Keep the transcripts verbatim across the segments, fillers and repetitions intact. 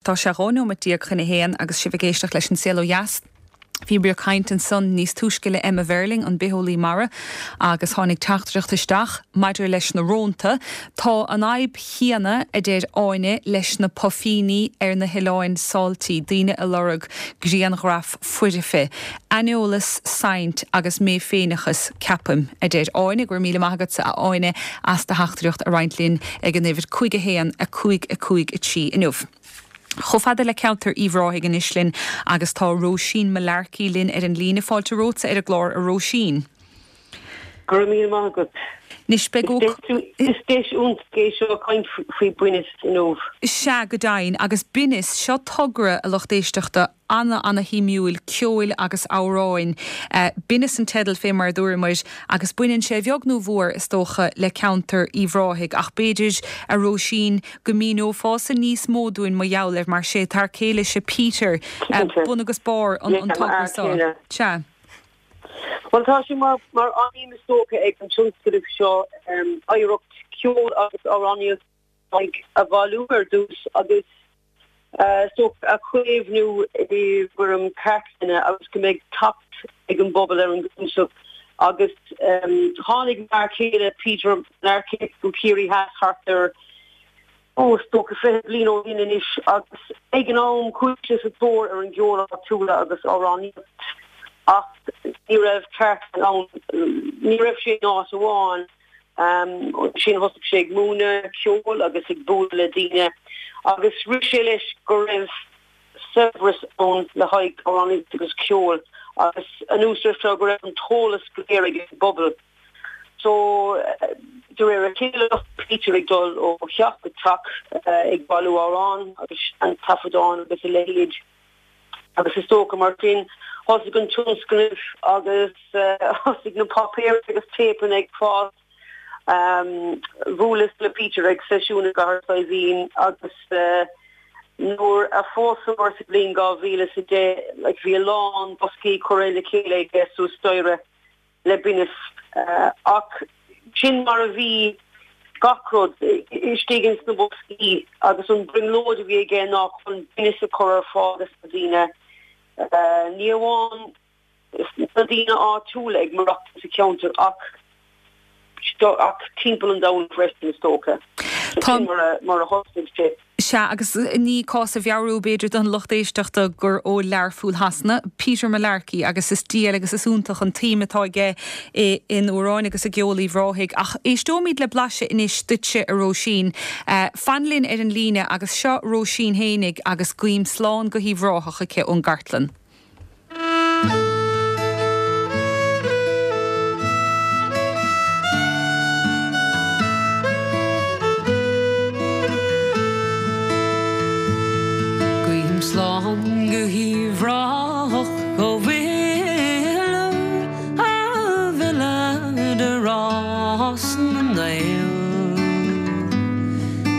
Tá sé dhá nóiméad déag chun a haon agus sibh ag éisteacht leis An Saol Ó Dheas. Bhíomar ag caint ansan níos túisce le Emma Verling, an bitheolaí mara, agus tháinig teachtaireacht isteach maidir leis na rónta. Tá an fhadhb chéanna, a deir Áine, leis na puifíní ar na hoileáin Saltee, daoine ag lorg grianghraf foirfe. Aineolas, saint agus mé-féineachas, ceapaim, a deir Áine. Go raibh míle maith agatsa, a Áine, as do theachtaireacht a roinnt linn ag an uimhir cúig a haon a cúig a cúig a trí inniu. Chomh fada le ceantar Uíbh Ráthaigh anois linn agus tá Róisín Mullarkey linn ar an líne. Fáilte romhatsa ar an gclár, a Róisín. Go raibh míle maith agat. Anois beidh ó. Is deis iontach é seo caint faoi Binneas inniu. Sea, go deimhin. Agus Binneas, seo togra, a lucht éisteachta, ana ana shuimiúil, ceoil agus amhráin. Binneas an teideal fé mar a dúramar agus baineann sé a bheag nó a mhór, is dócha, le ceantar Uíbh Ráthaigh ach b'fhéidir, a Róisín, go míneofása níos mó dúinn mar gheall air mar sé t'fhear céile-se Peter bun agus barr an togra seo. Sea. Bhuel tá sé mar mar aidhm is dócha ag an tionscnamh seo oidhreacht ceoil agus amhránaíocht a bhailiú ar dtús agus is dócha a chaomhnú i bhfoirm cartlainne agus go mbeidh teacht ag an bpobal ar an gcnuasach agus tháinig m'fhear céile Peter Mullarkey go Ciarraí Theas thart ar ó, is dócha fiche bliain ó shin anois agus ag an am chuaigh sé sa tóir ar an gceol áitiúil agus amhránaíocht ach ní raibh cartlann ann, ní raibh sé in áit amháin. Ansin thosaigh sé ag múineadh ceoil agus ag bualadh le daoine agus rith sé leis go raibh saibhreas ann le haghaidh amhránaíocht agus ceol agus anuas air seo go raibh an t-eolas go léir ag an bpobal. So, de réir a chéile, Peter ag dul ó theach go teach ag bailiú amhrán agus seantaifeadáin agus a leithéid agus is dócha mar sin thosaigh an tionscnamh agus thosaigh na páipéir agus téipeanna ag fás. Bhuaileas le Peter ag seisiún i gCathair Saidhbhín agus nuair a phósamar sa bhliain dhá mhíle is a deich, like, bhí a lán boscaí curtha le chéile aige suas staighre. le Binneas ach sin mar a bhí gach rud istigh ins na boscaí agus an brionglóid a bhí aige ná chun Binneas a chur ar fáil dos na daoine, ní amháin na daoine áitiúla ag maireachtaint sa cheantar ach ach timpeall an domhain freisin is dócha. Sin mar a thosaigh sé. Sea, agus ní cás a mheabhrú, b'fhéidir, don lucht éisteachta gur ó Learpholl Shasana, Peter Mullarkey, agus is diail agus is iontach an tsuim atá aige in amhráin agus i gceol Uíbh Ráthaigh. Ach éisteoimid le blaiseadh anois duitse, a Róisín. Fan linn ar an líne agus seo Róisín fhéinig agus guím slán go hUíbh Ráthach aici ón gcartlann. Guím slán go hUíbh Ráthach ó mhilleadh a mhilleadh de rás na nGael.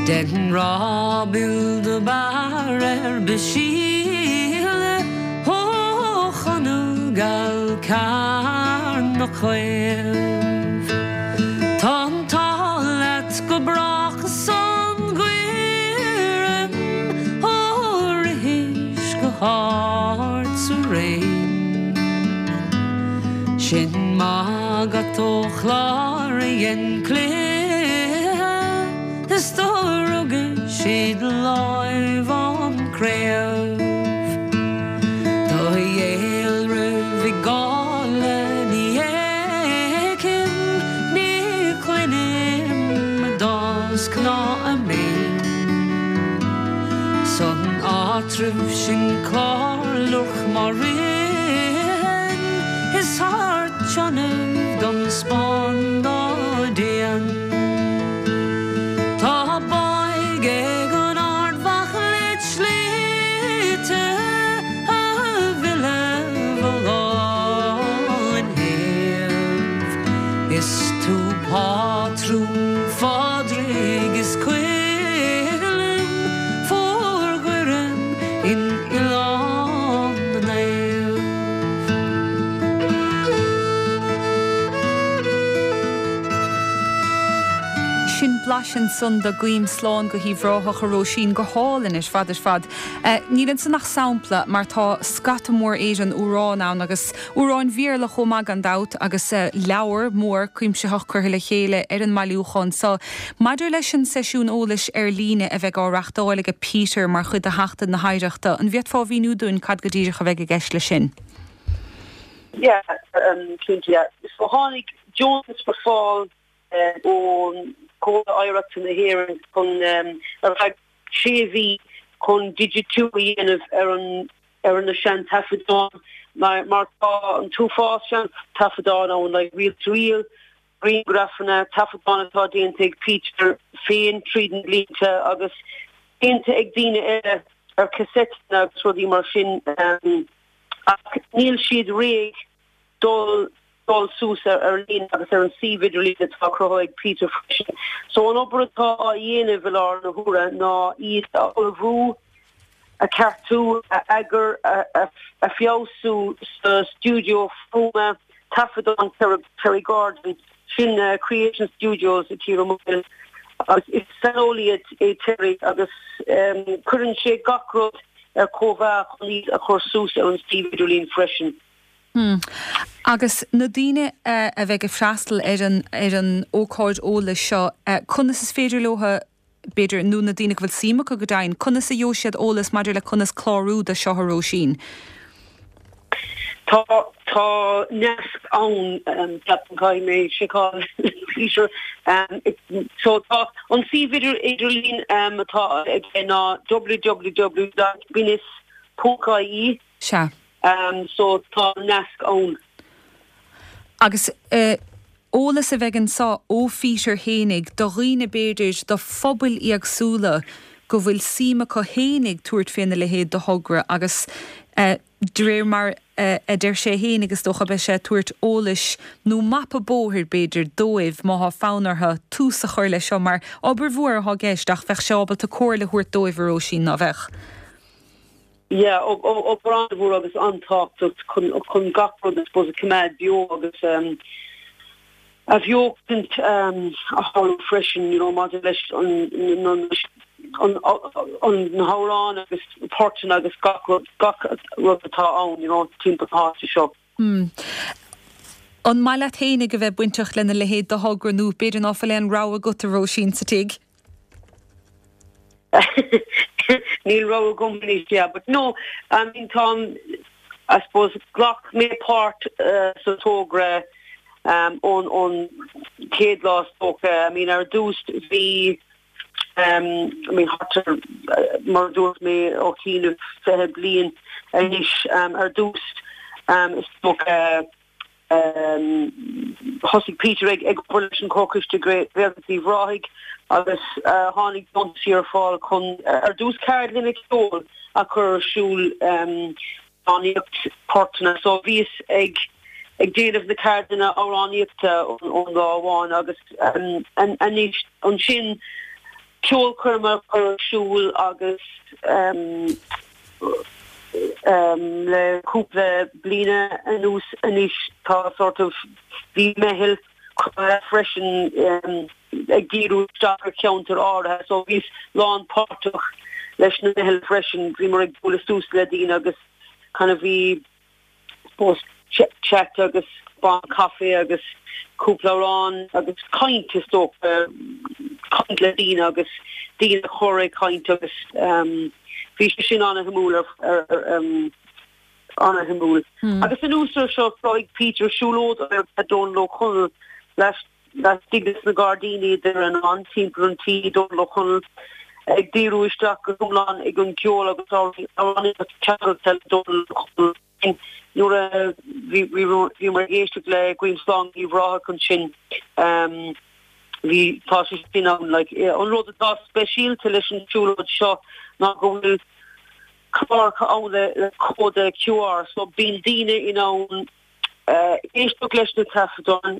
Den ráibil do b'fhearr ar B'síle ó Chonradh Gall Carna Caomh. Tá an t-ádh leat go brách san gCuirim ó rithis go hard sa Réim. Sin maith agat ó Chlár a dhein cluiche is do rugais id láimh an craobh. Do dhealramh i gcáile ní fheicim, ní chluinim a dtásc ná a mbéim. San áitreabh sin clár Lurch má ritheann is thar tionnaibh don Spáinn dá dtéann. Tá báidh ag an Ard-Mhacha led shlite a mhilleadh bhfolláin shéimh. Is tú pátrún Phádraig is Choilm fuar Dhoireann in Oileán na Naomh. leis ansan do Guím Slán go hUíbh Ráthach a Róisín go hálainn ar fad ar fad. Níl ansan ach sampla mar tá scata mór éigin amhrán ann agus amhráin Bhéarla chomh maith gan dabht agus leabhar mór cuimsitheach curtha le chéile ar an mbailiúchán seo. Maidir leis an seisiún eolais ar líne a bheidh á reáchtáil ag Peter mar chuid de Sheachtain na hOidhreachta, an bhféadfá a mhíniú dúinn cad go díreach a bheidh i gceist leis sin? Yeah, um, cinnte, yeah. So tháinig deontas ar fáil ón Chomhairle Oidhreachta na hÉireann chun ar feadh sé mhí chun digitiú a dhéanamh ar an ar na seantaifeadáin mar mar tá an t-uafás seantaifeadán ann like reel to reel grianghrafanna taifeadáin atá déanta ag Peter féin tríd na blianta agus déanta ag daoine eile ar cassettes agus rudaí mar sin um, ach níl siad réidh dul dul suas ar ar líne agus ar an suíomh idirlín atá cruthaithe ag Peter freisin. So an obair atá á dhéanamh i láthair na huaire ná iad a ullmhú a cheartú a eagar a, a feabhsú sa studio fuaime taifeadán Terry Gordon sin uh, Creation Studios i Tír Móil agus is saineolaí é Terry agus um, cuireann sé gach rud ar cóimheá chun iad a chur suas ar an suíomh idirlín freisin. Hmm. Agus na daoine uh, a bheidh ag freastal ar an ar an ócáid eolais seo, uh, conas is féidir leo b'fhéidir nó na daoine go bhfuil suim acu go deimhin, conas a gheobhaidh siad eolas maidir le conas clárú do seo a Róisín. Tá tá nasc ann um, caithfidh mé seiceáil Peter um, so tá an suíomh idirlín um, atá ag ná www.guinness.ie Sea. Um, so tá nasc ann. Agus uh, eolas a bheidh anseo ó Peter fhéinig do dhaoine b'fhéidir do phobail éagsúla go bhfuil suim acu fhéinig tabhairt faoina leithéid de thogra agus uh, de réir mar uh, a deir sé féin agus dócha beidh sé tabhairt eolais nó mapa bóthair b'fhéidir dóibh má tá fonn orthu tús a chur leis seo mar obair mhór atá i gceist ach bheadh sé ábalta comhairle a thabhairt dóibh a Róisín ná bheadh. Yeah, obair an-mhór agus an-tábhachtach chun chun gach rud is a choimeád beo agus um, a bheochaint um, a tharlú freisin you know, maidir leis an an an na hamhráin agus poirteanna agus gach rud gach rud atá ann you know, timpeall na háite seo. Hmm. An maith leat fhéinig a bheith bainteach lena leithéid de thogra nó b'fhéidir ná fuil aon rogha agat a Róisín sa tigh? Níl rogha agam anois yeah, but no I mean Tom I suppose ghlac mé páirt uh, sa togra um ón ón chéad lá I mean ar dtús bhí um I mean thart ar uh, mar dúirt mé ó cíine fiche bliain anois um, ar dtús um, is dócha um, thosaigh Peter ag ag obair leis an Chomhchoiste Gaeltacht Uíbh Ráthaigh agus uh, tháinig deontas ar fáil chun uh, ar dtús ceardlanna ceoil a chur ar siúl um, amhránaíocht portanna so bhíos ag ag déanamh na ceardlanna amhránaíochta ón lá amháin agus um, an anois ansin ceolchoirm a chur ar siúl agus um, um, le cúpla bliana anuas anois tá sort of bhí meitheal freisin um, ag díriú isteach ar cheantar áirithe so bhíos lánpháirteach leis na meitheal freisin bhí mar ag bualadh suas le daoine agus kind of bhí post chat agus ban caife agus cúpla amhrán agus caint is dócha caint le daoine agus daoine chóir caint agus um, bhí sé sin an-shuimiúil ar um, an-shuimiúil. Hmm. Agus an uair seo ag Peter siúlóid ar Dónal Ó Conaill leis laistigh na gairdíní idir an an timpeall an tí Dónal Ó Conaill ag díriú isteach go hiomlán ag an ceol agus ceangal Dónal Ó Conaill nuair a bhí mar éisteacht le Guím Slán Uíbh Ráthach ansin um, bhí tá sé sin ann like, an rud atá speisialta leis an siúlóid seo ná go bhfuil cláracha ann le le cód QR so bíonn daoine in ann uh, éisteacht leis na taifeadáin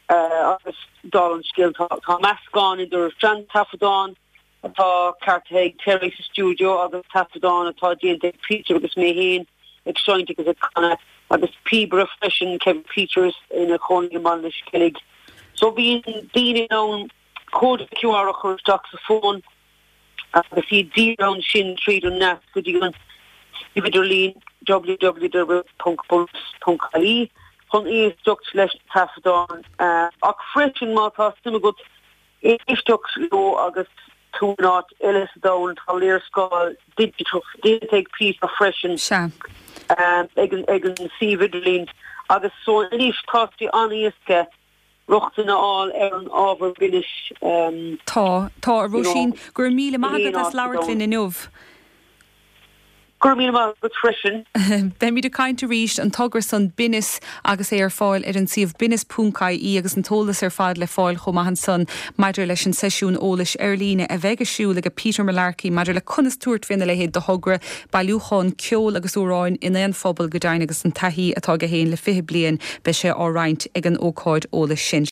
uh, agus dála an scéil tá, tá meascán idir seantaifeadáin atá ceartaithe ag Terry sa studio agus taifeadáin atá déanta ag Peter agus mé féin ag seinnt agus ag canadh agus píobaire freisin Kevin Peters ina chónaí i mBaile an Sceilg. So bíonn daoine ann cód Q R a chur isteach sa fón agus iad díreach ansin tríd an nasc go dtí an suíomh idirlín W W W ponc bunús ponc I E chun éisteacht leis na taifeadáin, ach freisin má tá suim agat éisteacht leo agus tú in áit eile sa domhan, tá léarscáil digiteach déanta ag Peter freisin ag an ag an suíomh idirlín agus so anois tá sé an-éasca rochtain a fháil ar an ábhar binnis. Tá, tá, a Róisín, go raibh míle maith agat as labhairt linn inniu. Go raibh míle maith agat freisin. Beimid ag caint arís. An togra san Binneas agus é ar fáil ar an suíomh binneas ponc I E agus an t-eolas ar fad le fáil chomh maith ansan maidir leis an seisiún eolais ar líne a bheidh ar siúl ag Peter Mullarkey maidir le conas tabhairt faoina leithéid de thogra, bailiúchán ceoil agus amhráin in aon phobal go deimhin, agus an taithí atá aige féin le fiche bliain, beidh sé á roinnt ag an ócáid eolais sin.